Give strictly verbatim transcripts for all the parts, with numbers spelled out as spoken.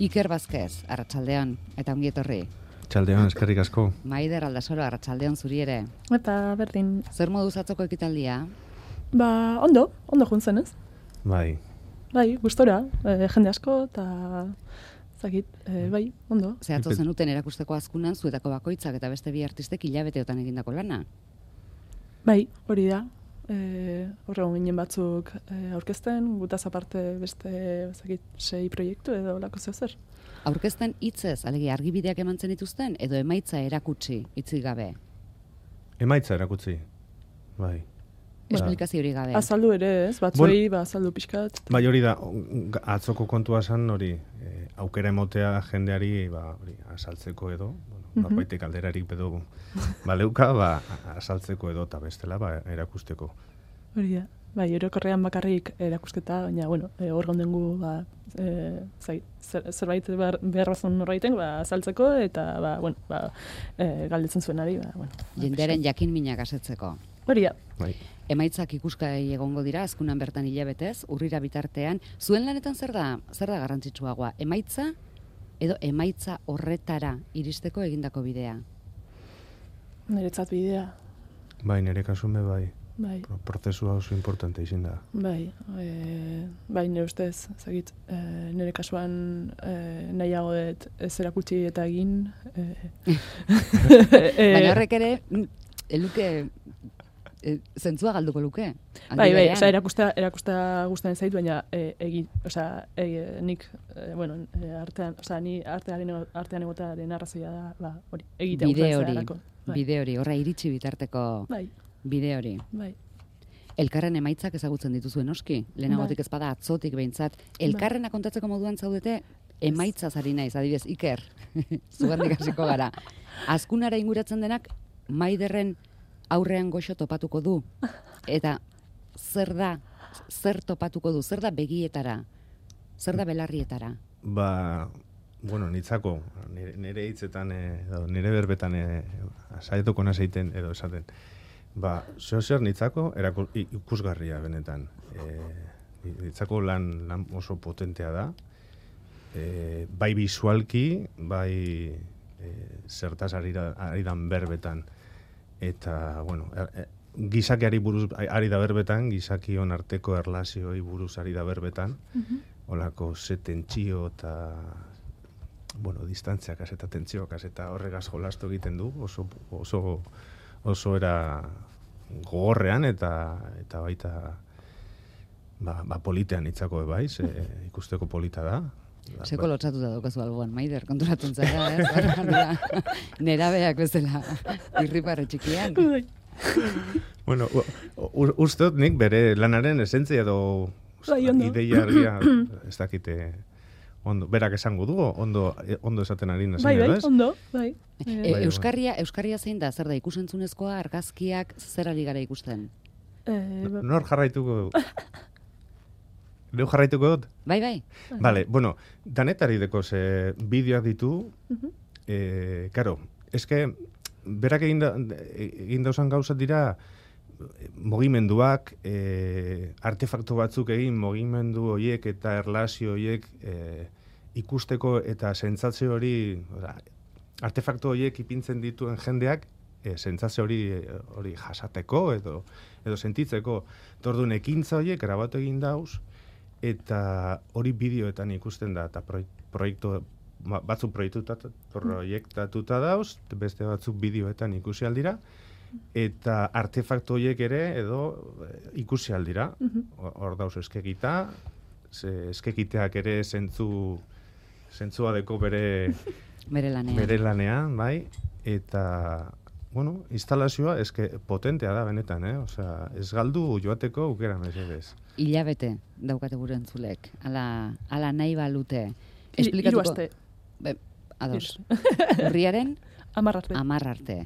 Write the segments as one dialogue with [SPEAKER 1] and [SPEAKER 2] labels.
[SPEAKER 1] Iker Vázquez, arratsaldeon, eta ongi etorri.
[SPEAKER 2] Arratsaldeon, eskerrik asko.
[SPEAKER 1] Maider Aldasoro, arratsaldeon zuri ere.
[SPEAKER 3] Eta berdin.
[SPEAKER 1] Zer moduz atzoko ekitaldia?
[SPEAKER 3] Ba, ondo, ondo juntzen ez?
[SPEAKER 2] Bai.
[SPEAKER 3] Bai, gustora, e, jende asko, eta zakit, e, bai, ondo.
[SPEAKER 1] Zehatzo zenuten erakusteko azkunan, zuetako bakoitzak eta beste bi artistek hilabeteotan egindako lana?
[SPEAKER 3] Bai, hori da. E, Horregon ginen batzuk e, aurkezten, gutaz aparte beste zakit, sei proiektu edo lako zeu zer.
[SPEAKER 1] Aurkezten hitzez, alegia argibideak emantzen dituzten, edo emaitza erakutsi hitzik gabe?
[SPEAKER 2] Emaitza erakutsi, bai.
[SPEAKER 1] Esplikazio hori gabe.
[SPEAKER 3] Azaldu ere, ez? Batzuei, ba, azaldu pixkat.
[SPEAKER 2] Bai, hori da, atzoko kontua zen hori, e, aukera emotea jendeari, ba, hori, azaltzeko edo, bueno,
[SPEAKER 3] Mhm.
[SPEAKER 2] norbaitek alderarik bedo, baleuka, ba, azaltzeko edo, eta bestela, ba, erakusteko.
[SPEAKER 3] Hori da. Bai, orokorrean bakarrik erakusketa, baina, bueno, e, hor gondengu, ba, e, zai, zer, zerbait behar, behar bazun norbaiten, ba, azaltzeko, eta, ba, bueno, ba, e, galdetzen zuenari, ba, bueno.
[SPEAKER 1] Jendearen jakin minak asetzeko.
[SPEAKER 3] Hori da.
[SPEAKER 2] Bai.
[SPEAKER 1] Emaitzak ikuskai egongo dira, azkunan bertan hilabetez, urrira bitartean. Zuen lanetan zer da, zer da garrantzitsuagoa? Emaitza edo emaitza horretara iristeko egindako bidea?
[SPEAKER 3] Niretzat bidea.
[SPEAKER 2] Bai, nire kasume, bai.
[SPEAKER 3] Bai.
[SPEAKER 2] Prozesua oso importante izin da.
[SPEAKER 3] Bai, e, bai, nire ustez, zagit, e, nire kasuan e, nahiago dut ez erakutsi eta egin. E, e,
[SPEAKER 1] Baina horrek ere, eluke, e, zentzua galduko luke.
[SPEAKER 3] Bai, bai, osea, erakusta, erakusta gustatzen zait, baina e, egin, osea, e, nik, e, bueno, e, artean, osea, ni artearen, artean egotearen arrazoia da, ba, hori, egitea
[SPEAKER 1] bide hori,
[SPEAKER 3] bai.
[SPEAKER 1] bide hori, horra iritsi bitarteko
[SPEAKER 3] bai.
[SPEAKER 1] bide hori.
[SPEAKER 3] Bai.
[SPEAKER 1] Elkarren emaitzak ezagutzen dituzuen noski, lehenagotik
[SPEAKER 3] Bai.
[SPEAKER 1] ezpada atzotik behintzat. Elkarrena kontatzeko moduan zaudete, emaitzaz ari naiz, adibidez, Iker, zugandik hasiko gara. Azkunara inguratzen denak, Maiderren aurrean goxo topatuko du. Eta zer da, zer topatuko du, zer da begietara, zer da belarrietara?
[SPEAKER 2] Ba, bueno, nitzako, nire, nire hitzetan, e, nire berbetan e, saietuko naseiten edo esaten. Ba, zeo zer nitzako eraku, ikusgarria benetan. E, nitzako lan, lan oso potentea da. E, bai bisualki, bai e, zertaz ari, da, ari dan berbetan. Eta, bueno, er, e, gizakiari buruz ari da berbetan, gizakion arteko erlazioi buruz ari da berbetan.
[SPEAKER 3] Mhm.
[SPEAKER 2] Olako ze tentsio eta, bueno, distantziak eta tentsioak eta horregaz jolastu egiten du, oso, oso, oso era gogorrean eta eta baita ba, ba politean itzako ebaiz, e, ikusteko polita da.
[SPEAKER 1] Seko lotzatuta daukazu alboan, Maider, konturatzen zara, ez? Nerabeak bezala, irriparre txikian.
[SPEAKER 2] Bueno, uste dut nik bere lanaren esentzia edo
[SPEAKER 3] bai,
[SPEAKER 2] ideia argia ez dakite ondo, berak esango du, ondo, ondo esaten ari nazen,
[SPEAKER 3] bai, bai,
[SPEAKER 2] ez?
[SPEAKER 3] ondo, bai.
[SPEAKER 1] E, Euskarria, Euskarria zein da, zer da, ikusentzunezkoa, argazkiak, zer ari gara ikusten?
[SPEAKER 3] E, ba,
[SPEAKER 2] Nor jarraituko dut? Neu jarraituko dut?
[SPEAKER 1] Bai, bai.
[SPEAKER 2] Vale, bueno, danetari deko ze bideoak ditu,
[SPEAKER 3] Mhm.
[SPEAKER 2] eh, karo, eske, berak egin, da, egin dauzan gauzat dira, mugimenduak, e, artefaktu batzuk egin, mugimendu horiek eta erlazio horiek e, ikusteko eta sentsazio hori, oda, artefaktu horiek ipintzen dituen jendeak, e, sentsazio hori hori jasateko edo edo sentitzeko. Tordun ekintza horiek grabatu egin dauz eta hori bideoetan ikusten da eta proiektu batzuk proiektutatuta proiektatuta dauz, beste batzuk bideoetan ikusi aldira. Eta artefaktu horiek ere edo ikusi aldira. Hor dauz eskegita, eskegiteak ere zentzu zentzua deko bere
[SPEAKER 1] bere lanean.
[SPEAKER 2] Bere lanean, bai, eta bueno, instalazioa eske potentea da benetan, eh? Osea, ez galdu joateko aukera mesedez.
[SPEAKER 1] Hilabete daukate gure entzulek. Ala, ala nahi balute.
[SPEAKER 3] Hiru aste.
[SPEAKER 1] Be, ados. Urriaren
[SPEAKER 3] hamar arte.
[SPEAKER 1] Hamar arte.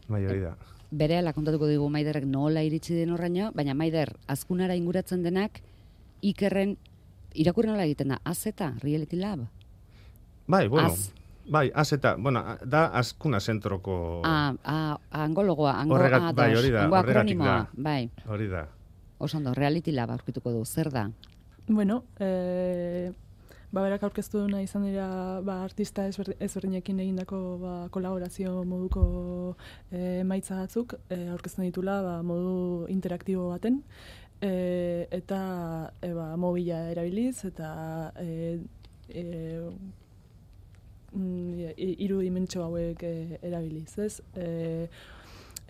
[SPEAKER 2] Bai, hori da.
[SPEAKER 1] Berehala kontatuko digu Maiderrek nola iritsi den horraino, baina Maider, azkunara inguratzen denak, Ikerren, irakurri nola egiten da, Az eta Reality Lab?
[SPEAKER 2] Bai, bueno,
[SPEAKER 1] Az.
[SPEAKER 2] bai, Az eta, bueno, da azkuna zentroko...
[SPEAKER 1] Ah, ah, angologoa, ango,
[SPEAKER 2] Horregat,
[SPEAKER 1] ah,
[SPEAKER 2] bai, hori da,
[SPEAKER 1] ango
[SPEAKER 2] horregatik
[SPEAKER 1] akronimoa,
[SPEAKER 2] da.
[SPEAKER 1] bai.
[SPEAKER 2] Hori da.
[SPEAKER 1] Oso ondo, Reality Lab aurkituko du, zer da?
[SPEAKER 3] Bueno, eh, Ba, berak aurkeztu duna izan dira ba, artista ezberdinekin egindako ba, kolaborazio moduko e, emaitza batzuk e, aurkezten ditula ba, modu interaktibo baten e, eta e, ba, mobila erabiliz eta e, e, hiru dimentsio hauek e, erabiliz, ez? E,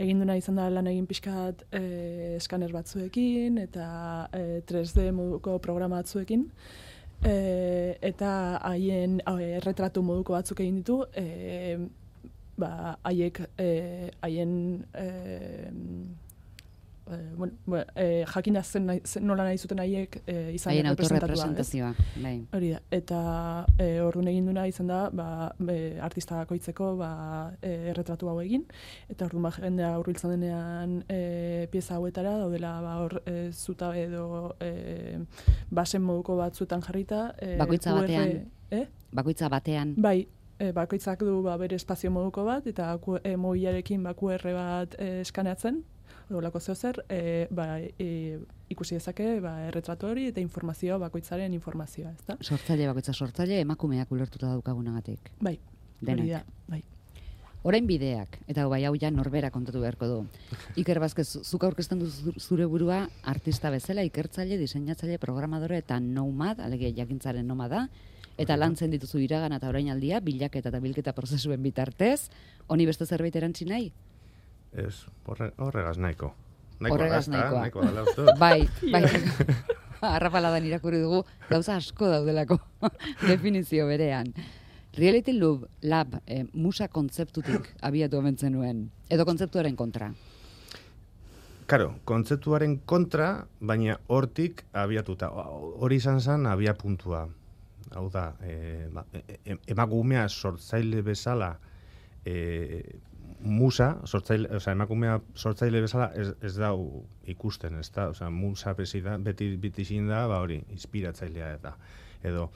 [SPEAKER 3] egin duna izan da lan egin pixkat e, eskaner batzuekin eta e, tres D moduko programa batzuekin e, eta haien e, erretratu moduko batzuk egin ditu e, ba, haiek e, haien e, e, bueno, bueno, e, jakin da zen, zen nola nahi zuten haiek e, izan
[SPEAKER 1] haien
[SPEAKER 3] representatua.
[SPEAKER 1] Autorrepresentazioa, bai.
[SPEAKER 3] Hori da, eta e, orduan egin duna izan da ba, e, artista bakoitzeko ba, e, erretratu hau egin, eta orduan ba, jendea hurbiltzen denean e, pieza hauetara, daudela ba, hor e, zuta edo e, basen moduko batzuetan jarrita. E,
[SPEAKER 1] Bakoitza
[SPEAKER 3] Q R,
[SPEAKER 1] batean.
[SPEAKER 3] Eh?
[SPEAKER 1] Bakoitza batean.
[SPEAKER 3] Bai, e, bakoitzak du ba, bere espazio moduko bat, eta e, mobilarekin ba, Q R bat e, eskaneatzen, horrelako zeozer, e, ba, e, ikusi dezake ba, erretratu hori eta informazioa bakoitzaren informazioa, ezta?
[SPEAKER 1] Sortzaile bakoitza sortzaile emakumeak ulertuta daukagunagatik.
[SPEAKER 3] Bai,
[SPEAKER 1] Denak.
[SPEAKER 3] hori da, bai.
[SPEAKER 1] Orain bideak, eta bai hau ja norbera kontatu beharko du. Iker Vázquez, zuk aurkezten du zure burua artista bezala, ikertzaile, diseinatzaile, programadore eta nomad, alegia jakintzaren nomada, eta lantzen dituzu iragana eta orainaldia, bilaketa eta bilketa prozesuen bitartez, honi beste zerbait erantzi nahi?
[SPEAKER 2] Ez, horre, horregaz nahiko. Nahiko
[SPEAKER 1] Horregaz
[SPEAKER 2] da,
[SPEAKER 1] nahikoa.
[SPEAKER 2] nahiko dela uste.
[SPEAKER 1] Bai, bai. Arrapaladan irakurri dugu, gauza asko daudelako definizio berean. Reality Lab, lab eh, musa kontzeptutik abiatu omentzen nuen, edo kontzeptuaren kontra.
[SPEAKER 2] Karo, kontzeptuaren kontra, baina hortik abiatuta. Hori izan zen abia puntua. Hau da, e, ba, e, emakumea sortzaile bezala e, musa, sortzaile, oza, emakumea sortzaile bezala ez, ez dau ikusten, ez da, oza, musa beti, da, beti bitizin da, ba hori, inspiratzailea eta, edo,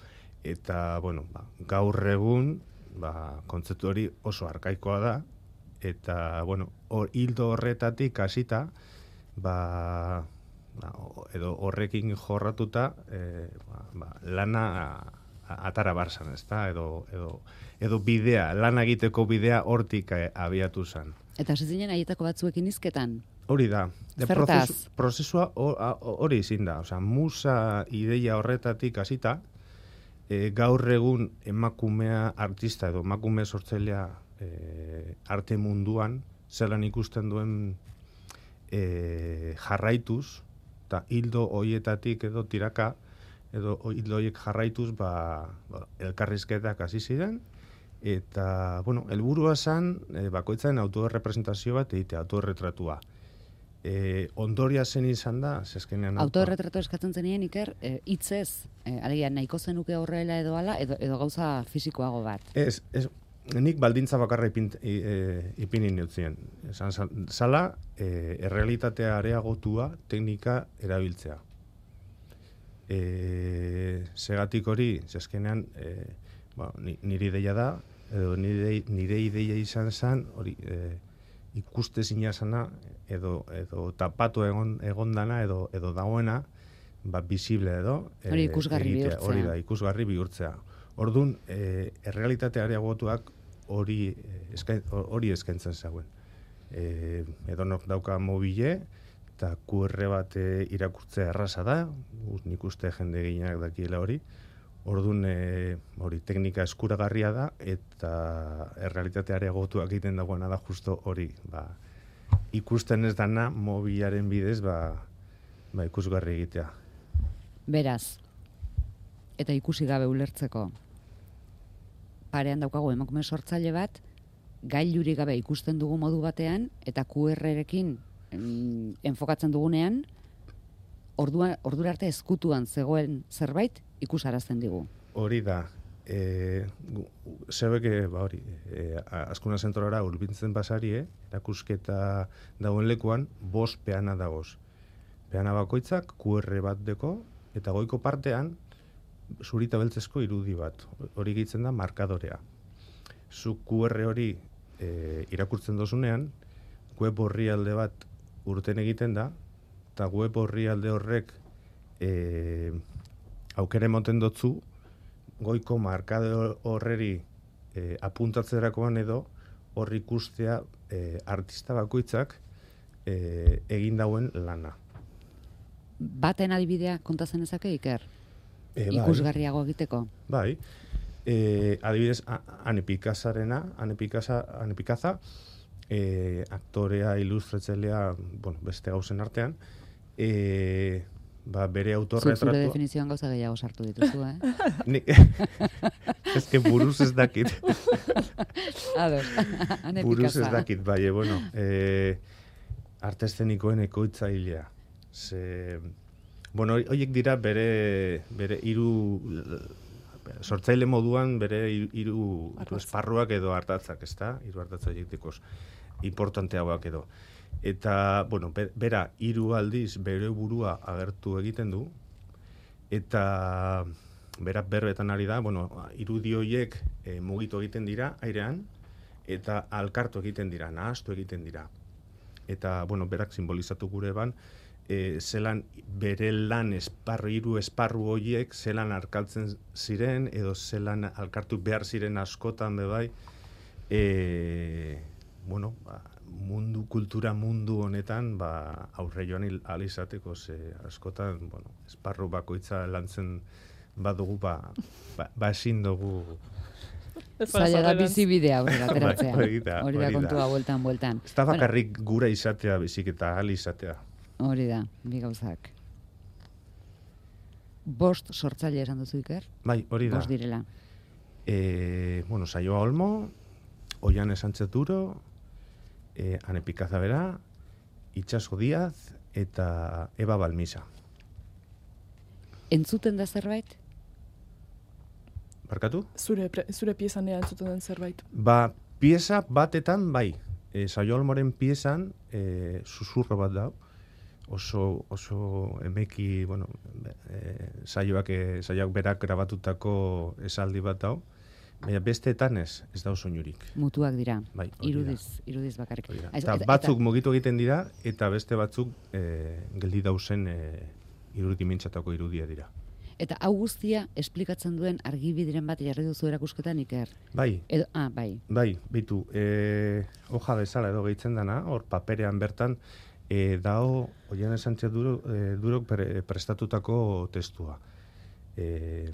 [SPEAKER 2] eta, bueno, ba, gaur egun, ba, kontzeptu hori oso arkaikoa da, eta, bueno, hor, hildo horretatik hasita, ba, ba, edo horrekin jorratuta, e, ba, ba, lana atara barzan, ez da, edo, edo, edo bidea, lan egiteko bidea hortik eh, abiatu zen.
[SPEAKER 1] Eta hasi zinen haietako batzuekin hizketan?
[SPEAKER 2] Hori da. De
[SPEAKER 1] Zertaz?
[SPEAKER 2] prozesu, prozesua hori izin da. Osea, musa ideia horretatik hasita, e, gaur egun emakumea artista edo emakume sortzailea e, arte munduan, zelan ikusten duen e, jarraituz, eta hildo hoietatik edo tiraka, edo hildo hoiek jarraituz, ba, ba, elkarrizketak hasi ziren, eta, bueno, helburua zen, e, bakoitzaren autorepresentazio bat egitea, autorretratua. E, ondoria zen izan da, zezkenean...
[SPEAKER 1] Autorretratu eskatzen zenien, Iker, e, hitzez, e, alegia, nahiko zenuke horrela edo ala, edo, edo gauza fisikoago bat.
[SPEAKER 2] Ez, ez, nik baldintza bakarra ipint, e, e, ipini neutzien. Esan zala, e, errealitatea areagotua teknika erabiltzea. E, segatik hori, zezkenean, e, ba, nire ideia da, edo nire, nire ideia izan zen, hori, e, ikuste zina zana, edo, edo tapatu egon, egon dana, edo, edo dagoena, ba, visible edo.
[SPEAKER 1] Hori ikusgarri
[SPEAKER 2] egitea,
[SPEAKER 1] bihurtzea.
[SPEAKER 2] Hori da, ikusgarri bihurtzea. Orduan, e, errealitate areagotuak hori eskain, hori eskaintzen zegoen. E, edonok dauka mobile, eta Q R bat e, irakurtzea erraza da, nik uste jende gehienak dakiela hori. Orduan, e, hori teknika eskuragarria da, eta errealitate areagotuak egiten dagoena da justo hori. Ba, ikusten ez dana mobilaren bidez, ba, ba ikusgarri egitea.
[SPEAKER 1] Beraz, eta ikusi gabe ulertzeko, parean daukagu emakume sortzaile bat, gailurik gabe ikusten dugu modu batean, eta Q R-rekin em, enfokatzen dugunean, ordua, ordura arte ezkutuan zegoen zerbait ikusarazten digu.
[SPEAKER 2] Hori da, e, zebeke, ba hori, e, Azkuna zentrora urbintzen basarie, erakusketa dagoen lekuan, bost peana dagoz. Peana bakoitzak Q R bat deko, eta goiko partean, zurita beltzezko irudi bat. Hori gehitzen da markadorea. Zu Q R hori e, irakurtzen dozunean, web orrialde bat urten egiten da, eta web orrialde horrek e, aukere moten dotzu, goiko markade horreri e, apuntatzerakoan edo hor ikustea e, artista bakoitzak e, egin dauen lana.
[SPEAKER 1] Baten adibidea kontatzen ezake, Iker?
[SPEAKER 2] E, bai.
[SPEAKER 1] Ikusgarriago egiteko?
[SPEAKER 2] Bai. E, adibidez, Ane Pikazarena, Ane Pikaza, Ane Pikaza, e, aktorea, ilustratzailea, bueno, beste gauzen artean, e, ba, bere autorretratua...
[SPEAKER 1] Zure definizioan gauza gehiago sartu dituzu, eh?
[SPEAKER 2] Ni... Ez que buruz ez dakit.
[SPEAKER 1] Ados, Ane Pikaza.
[SPEAKER 2] Buruz ez dakit, bai, bueno, e, arte eszenikoen ekoitzailea. Ze, bueno, horiek dira bere, bere hiru sortzaile moduan bere hiru esparruak edo hartatzak, ezta? Hiru hartatza horiek dikoz importanteagoak edo. Eta, bueno, bera hiru aldiz bere burua agertu egiten du, eta berak berbetan ari da, bueno, irudi horiek e, mugitu egiten dira airean, eta alkartu egiten dira, nahastu egiten dira. Eta, bueno, berak simbolizatu gure ban, E, zelan bere lan esparru, hiru esparru horiek zelan arkaltzen ziren, edo zelan alkartu behar ziren askotan bebai, e, bueno, ba, mundu, kultura mundu honetan, ba, aurre joan alizateko, ze askotan, bueno, esparru bakoitza lantzen badugu, ba, ba, ba ezin dugu...
[SPEAKER 1] Zaila da bizibidea aurrera ateratzea.
[SPEAKER 2] Hori da,
[SPEAKER 1] hori da kontua bueltan, bueltan.
[SPEAKER 2] Ez da bakarrik gura izatea, bizik eta ahal izatea.
[SPEAKER 1] Hori da, bi gauzak. Bost sortzaile esan duzu, Iker?
[SPEAKER 2] Bai, hori da.
[SPEAKER 1] Bost direla.
[SPEAKER 2] E, bueno, Saioa Olmo, Oiane Sánchez Duro, e, Ane Pikaza bera, Itxaso Díaz eta Eba Balmisa.
[SPEAKER 1] Entzuten da zerbait?
[SPEAKER 2] Barkatu?
[SPEAKER 3] Zure, zure piezanean entzuten den zerbait.
[SPEAKER 2] Ba, pieza batetan bai. E, Saioa Olmoren piezan e, susurro bat da. Oso, oso emeki, bueno, e, saioak, e, saioak berak grabatutako esaldi bat dau, baina besteetan ez, ez da oso inurik.
[SPEAKER 1] Mutuak dira,
[SPEAKER 2] bai,
[SPEAKER 1] irudiz, irudiz bakarrik.
[SPEAKER 2] Eta batzuk mugitu egiten dira, eta beste batzuk e, geldi dauzen e, irudi mintzatako irudia dira.
[SPEAKER 1] Eta hau guztia esplikatzen duen argibidiren bat jarri duzu erakusketan, Iker?
[SPEAKER 2] Bai.
[SPEAKER 1] Edo, ah, bai.
[SPEAKER 2] Bai, bitu, e, hoja bezala edo gehitzen dana, hor paperean bertan, E, dao, Oiane Sánchez Duro, e, Durok pre, prestatutako testua. E,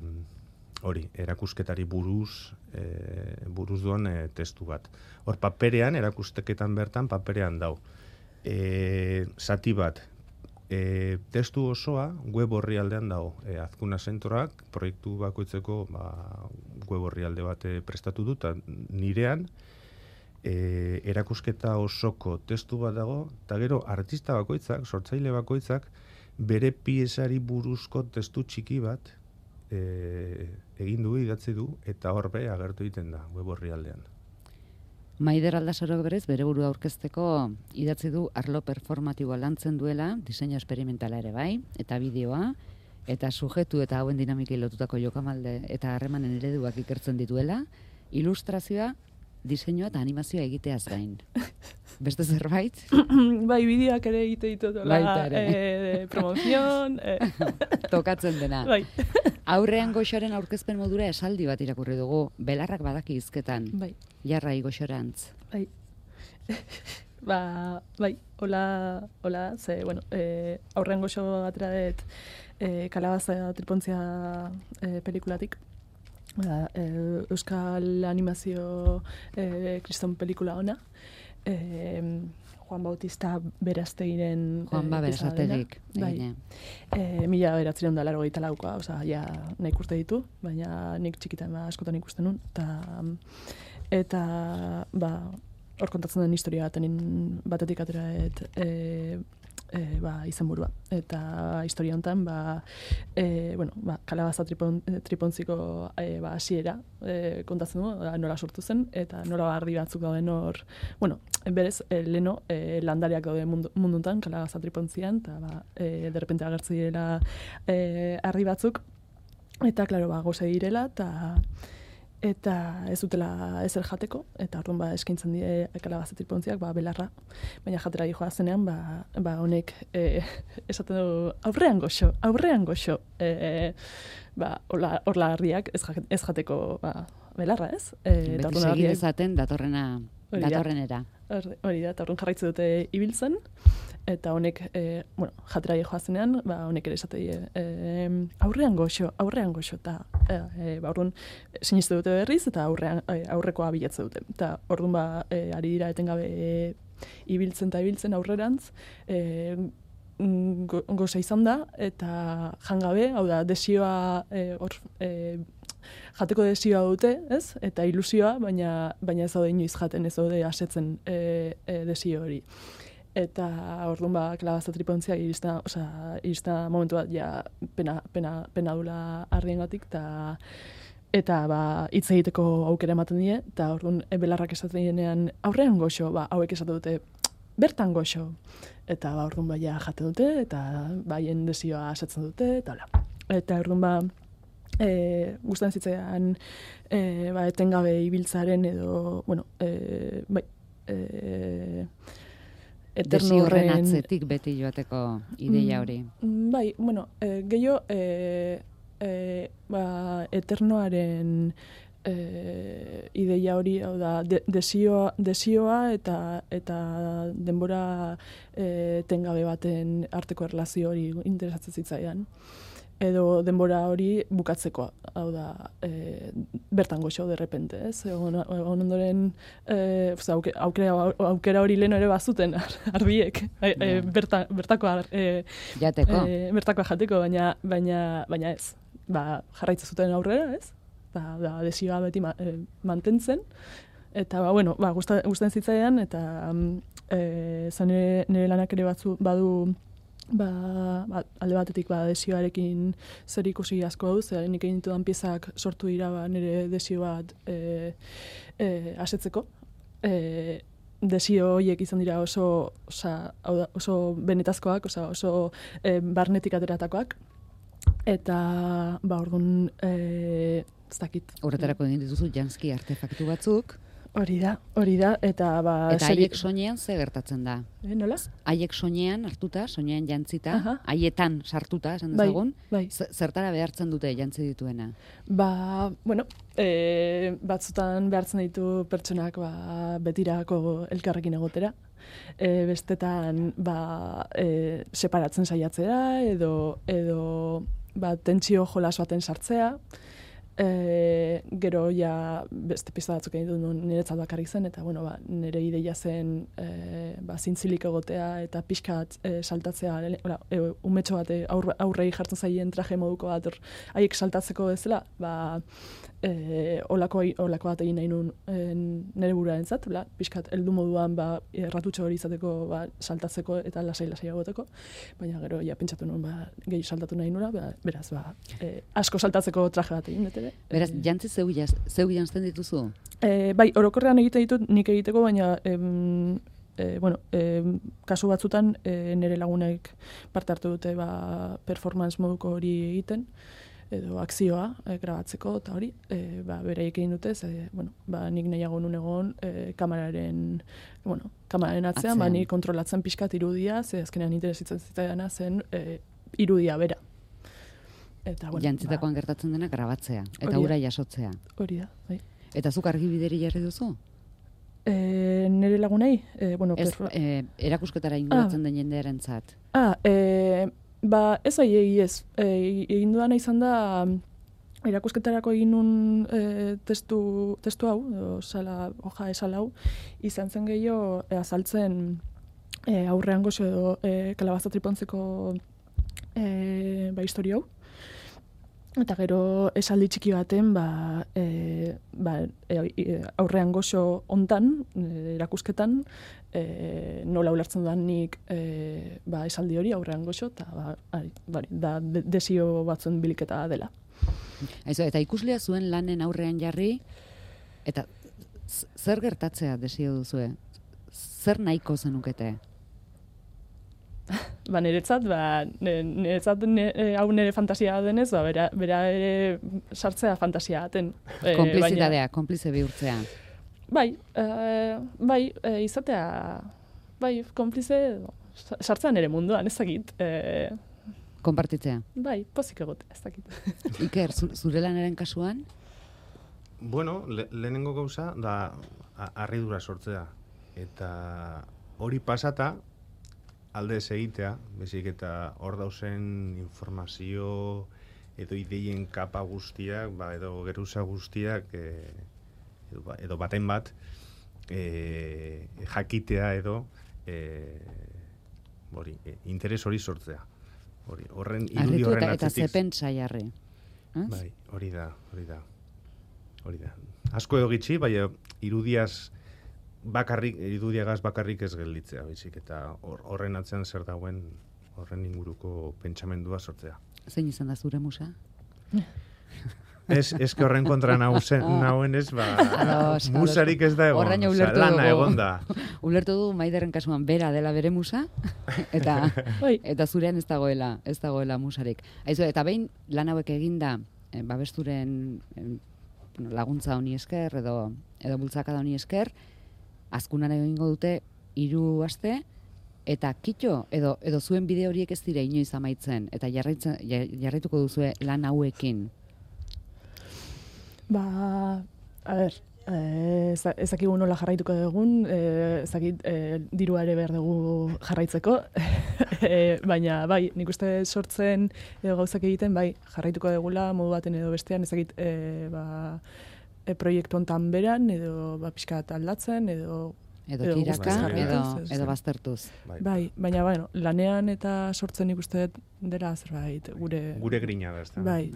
[SPEAKER 2] hori, erakusketari buruz, e, buruz duen e, testu bat. Hor, paperean, erakusketan bertan, paperean dao. E, zati bat, e, testu osoa web orrialdean dao. E, Azkuna Zentroak, proiektu bakoitzeko ba, web orrialde bat e, prestatu dut, nirean, E, erakusketa osoko testu bat dago, eta gero artista bakoitzak, sortzaile bakoitzak, bere piezari buruzko testu txiki bat e, egin du, idatzi du, eta horbe agertu egiten da, web orrialdean.
[SPEAKER 1] Maider Aldasorok berez, bere burua aurkezteko idatzi du arlo performatiboa lantzen duela, diseinu esperimentala ere bai, eta bideoa, eta sujetu eta hauen dinamikei lotutako jokamalde eta harremanen ereduak ikertzen dituela, ilustrazioa, diseinua eta animazioa egiteaz gain. Beste zerbait?
[SPEAKER 3] Bai, bideoak ere egite ditut.
[SPEAKER 1] Baita ere.
[SPEAKER 3] E, promozion. E.
[SPEAKER 1] Tokatzen dena.
[SPEAKER 3] Bai.
[SPEAKER 1] Aurrean Goxoren aurkezpen modura esaldi bat irakurri dugu. Belarrak badaki hizketan.
[SPEAKER 3] Bai.
[SPEAKER 1] Jarrai Goxorantz.
[SPEAKER 3] Bai. ba, bai, hola, hola, ze, bueno, e, aurrean Goxo atera dut e, Kalabaza tripontzia e, pelikulatik. Ba, e, Euskal animazio e, kriston pelikula ona. E, Juan Bautista Berastegiren
[SPEAKER 1] Juan Ba Berastegirik.
[SPEAKER 3] Bai. E, mila beratzen da laro gaita laukoa, oza, ja, nahi urte ditu, baina nik txikitan ba, askotan ikusten nun. Ta, eta, ba, hor kontatzen den historia batenin batetik atera et, e, e, ba, izenburua. Eta historia honetan, ba, e, bueno, ba, Kalabaza tripon, tripontziko e, ba, hasiera e, kontatzen du, da, nola sortu zen, eta nola ardi batzuk dauden hor, bueno, berez, e, leno e, landariak daude mundu, munduntan, Kalabaza tripontzian, eta ba, e, derrepente agertzi direla e, ardi batzuk, eta, klaro, ba, goze direla, eta eta ez dutela ezer jateko, eta orduan ba, eskaintzen die kalabaza-tripontziak ba, belarra, baina jatera joa zenean, ba, ba honek e, esaten du aurrean goxo, aurrean goxo, e, ba, orla, orla harriak ez, ez jateko ba, belarra, ez? E,
[SPEAKER 1] Beti segi dezaten datorrena, datorrenera.
[SPEAKER 3] Hori da, eta orduan jarraitzen dute ibiltzen, eta honek, e, bueno, jatera joa zenean, ba, honek ere esate die, e, aurrean goxo, aurrean goxo, eta e, ba, orduan siniste dute berriz, eta aurrean, e, aurrekoa bilatze dute. Eta orduan ba, e, ari dira etengabe e, ibiltzen eta ibiltzen aurrerantz, e, go, goza izan da, eta jangabe, hau da, desioa, e, or, e, jateko desioa dute, ez? Eta ilusioa, baina, baina ez daude inoiz jaten, ez daude asetzen e, e, desio hori. Eta orduan ba, kalabaza-tripontzia irista, osea, irista momentu bat ja pena, pena, pena dula harriengatik, eta eta ba, hitz egiteko aukera ematen die, eta orduan e, belarrak esaten dienean aurrean goxo, ba, hauek esaten dute bertan goxo. Eta ba, orduan ba, ja jate dute, eta baien desioa asetzen dute, eta hola. Eta orduan ba, E, gustan zitzaidan e, ba, etengabe ibiltzaren edo, bueno, e, bai, e, eterno horren...
[SPEAKER 1] Desio atzetik beti joateko ideia hori.
[SPEAKER 3] Mm, bai, bueno, e, gehiago, e, e, ba, eternoaren e, ideia hori, hau da, de, desioa, desioa eta, eta denbora e, etengabe baten arteko erlazio hori interesatzen zitzaidan. Edo denbora hori bukatzeko, hau da, e, bertan goxo, derrepente, ez? Egon, egon ondoren, e, aukera, aukera, aukera hori lehen ere bazuten, arbiek, e, e, berta, bertakoa, e,
[SPEAKER 1] jateko.
[SPEAKER 3] E, bertakoa jateko, baina, baina, baina ez. Ba, jarraitza zuten aurrera, ez? Ba, da, desioa beti ma, e, mantentzen, eta, ba, bueno, ba, gustatzen zitzaidan, eta e, zan nire, nire lanak ere batzu, badu, Ba, ba, alde batetik ba, desioarekin zer ikusi asko hau, zer nik egin ditudan piezak sortu dira ba, nire desio bat e, e, asetzeko. E, desio horiek izan dira oso, osa, oso benetazkoak, osa, oso e, barnetik ateratakoak. Eta, ba, orduan, e, ez dakit.
[SPEAKER 1] Horretarako egin dituzu janski artefaktu batzuk.
[SPEAKER 3] Hori da, hori da, eta ba...
[SPEAKER 1] Eta haiek soinean ze gertatzen da?
[SPEAKER 3] E, nola?
[SPEAKER 1] Haiek soinean hartuta, soinean jantzita,
[SPEAKER 3] Aha.
[SPEAKER 1] haietan sartuta, esan dezagun,
[SPEAKER 3] bai, bai.
[SPEAKER 1] Zertara behartzen dute jantzi dituena?
[SPEAKER 3] Ba, bueno, e, batzutan behartzen ditu pertsonak ba, betirako elkarrekin egotera. E, bestetan ba, e, separatzen saiatzea, edo, edo ba, tentsio jolas baten sartzea. E, gero ja beste pista batzuk egin dut niretzat bakarrik zen, eta bueno, ba, nire ideia zen e, ba, zintzilik egotea eta pixkat e, saltatzea, ora, e, umetxo bat aurre, aurrei jartzen zaien traje moduko bat, haiek saltatzeko bezala, ba, e, olako, olako bat egin nahi nun e, nire buruaren zat, pixkat heldu moduan ba, erratutxo hori izateko ba, saltatzeko eta lasai-lasai egoteko, baina gero ja pentsatu nuen ba, gehi saltatu nahi nula, ba, beraz, ba, e, asko saltatzeko traje bat egin, dut ere.
[SPEAKER 1] Beraz, jantzi zeu, jaz, zeu jantzten dituzu?
[SPEAKER 3] E, bai, orokorrean egite ditut nik egiteko, baina em, e, bueno, em, kasu batzutan e, nire lagunek parte hartu dute ba, performance moduko hori egiten, edo akzioa e, grabatzeko eta hori, e, ba, beraiek egin dute, ze, bueno, ba, nik nahiago nun egon e, kameraren, bueno, kameraren atzean, atzean. Ba, nik kontrolatzen pixkat irudia, ze azkenean interesitzen zitzaidana zen e, irudia bera. Eta, bueno,
[SPEAKER 1] jantzitakoan
[SPEAKER 3] ba,
[SPEAKER 1] gertatzen dena grabatzea, eta ura jasotzea.
[SPEAKER 3] Hori da, bai.
[SPEAKER 1] Eta zuk argibideri jarri duzu?
[SPEAKER 3] E, nire lagunei? E, bueno,
[SPEAKER 1] ez,
[SPEAKER 3] perro...
[SPEAKER 1] e, erakusketara inguratzen ah. den jendearen zat.
[SPEAKER 3] Ah, e, ba, ez ai egi ez. E, egin duana izan da, erakusketarako egin nun e, testu, testu hau, o, sala, hoja esal hau, izan zen gehiago e, azaltzen e, aurrean gozo edo e, kalabaza-tripontzeko e, ba, historia hau. Eta gero esaldi txiki baten ba, e, ba, e, aurrean goxo hontan, e, erakusketan, e, nola ulertzen dudan nik e, ba, esaldi hori aurrean goxo, eta ba, ari, bari, da de, desio batzuen biliketa dela.
[SPEAKER 1] Aizu, eta ikuslea zuen lanen aurrean jarri, eta zer gertatzea desio duzue? Zer nahiko zenukete?
[SPEAKER 3] ba, niretzat, ba, niretzat ne, hau nire fantasia denez, ba, bera, bera ere sartzea fantasia aten. E,
[SPEAKER 1] Konplizitatea, konplize bihurtzea.
[SPEAKER 3] Bai, e, bai, e, izatea, bai, konplize, sartzean ere munduan, ez dakit. E,
[SPEAKER 1] Konpartitzea.
[SPEAKER 3] bai, pozik egot, ez dakit.
[SPEAKER 1] Iker, zu, zure lanaren kasuan?
[SPEAKER 2] Bueno, le, lehenengo gauza da harridura sortzea. Eta hori pasata, alde ez egitea, bezik eta hor dauzen informazio edo ideien kapa guztiak, ba, edo geruza guztiak, e, edo, edo baten bat, e, jakitea edo e, hori, e, interes hori sortzea. Hori, horren irudi horren
[SPEAKER 1] eta,
[SPEAKER 2] atzetik.
[SPEAKER 1] Eta zepen saiarre.
[SPEAKER 2] Bai, hori da, hori da. Hori da. Asko edo gitxi, bai, irudiaz bakarrik, irudiagaz bakarrik ez gelditzea, baizik, eta horren atzean zer dauen, horren inguruko pentsamendua sortzea.
[SPEAKER 1] Zein izan da zure musa?
[SPEAKER 2] Ez, ez que horren kontra nauen, nauen ez, ba,
[SPEAKER 1] Ados,
[SPEAKER 2] musarik ez da egon,
[SPEAKER 1] Horraino
[SPEAKER 2] oza,
[SPEAKER 1] ulertu
[SPEAKER 2] lana
[SPEAKER 1] dugu.
[SPEAKER 2] egon da.
[SPEAKER 1] Ulertu du Maiderren kasuan bera dela bere musa, eta
[SPEAKER 3] Bai.
[SPEAKER 1] eta zurean ez dagoela, ez dagoela musarik. Aizu, eta behin lan hauek eginda, eh, babesturen eh, bueno, laguntza honi esker, edo, edo bultzakada honi esker, azkunan egingo dute hiru aste, eta kitxo, edo, edo zuen bide horiek ez dira inoiz amaitzen, eta jarraitzen, jarraituko duzue lan hauekin.
[SPEAKER 3] Ba, a ber, eh, ez dakigu nola jarraituko dugun, eh, ez dakit eh, dirua ere behar dugu jarraitzeko, eh, baina bai, nik uste sortzen edo gauzak egiten, bai, jarraituko dugula modu baten edo bestean, ez dakit eh, ba, e, proiektu hontan beran, edo ba, pixka bat aldatzen, edo
[SPEAKER 1] Edo
[SPEAKER 3] Edo
[SPEAKER 1] kiraka,
[SPEAKER 3] guztiz
[SPEAKER 1] edo,
[SPEAKER 3] jarraituz, ez.
[SPEAKER 1] edo baztertuz.
[SPEAKER 2] Bai.
[SPEAKER 3] bai, baina bueno, lanean eta sortzen nik uste dut dela zerbait, gure...
[SPEAKER 2] Gure grina da, ez da.
[SPEAKER 3] Bai,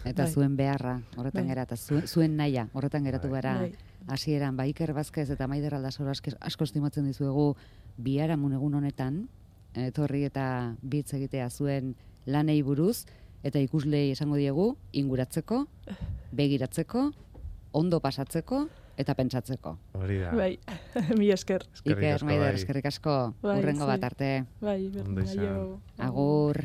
[SPEAKER 1] Eta
[SPEAKER 3] Bai.
[SPEAKER 1] zuen beharra, horretan
[SPEAKER 3] Bai.
[SPEAKER 1] gera, eta zuen, zuen naia, horretan geratu
[SPEAKER 2] Bai.
[SPEAKER 1] gara.
[SPEAKER 3] Bai.
[SPEAKER 1] Hasieran ba Iker Vazquez eta Maider Aldasoro asko, asko estimatzen dizuegu biharamun egun honetan, etorri eta bitz egitea zuen lanei buruz, eta ikuslei esango diegu, inguratzeko, begiratzeko, ondo pasatzeko, eta pentsatzeko.
[SPEAKER 2] Hori da.
[SPEAKER 3] bai, mi esker.
[SPEAKER 2] Eskerrik
[SPEAKER 1] Iker,
[SPEAKER 2] asko,
[SPEAKER 1] Maider,
[SPEAKER 2] bai.
[SPEAKER 1] eskerrik asko,
[SPEAKER 3] Bai,
[SPEAKER 1] urrengo
[SPEAKER 3] zuei.
[SPEAKER 1] bat arte.
[SPEAKER 3] Bai,
[SPEAKER 2] Ondo izan.
[SPEAKER 3] aio.
[SPEAKER 1] Agur.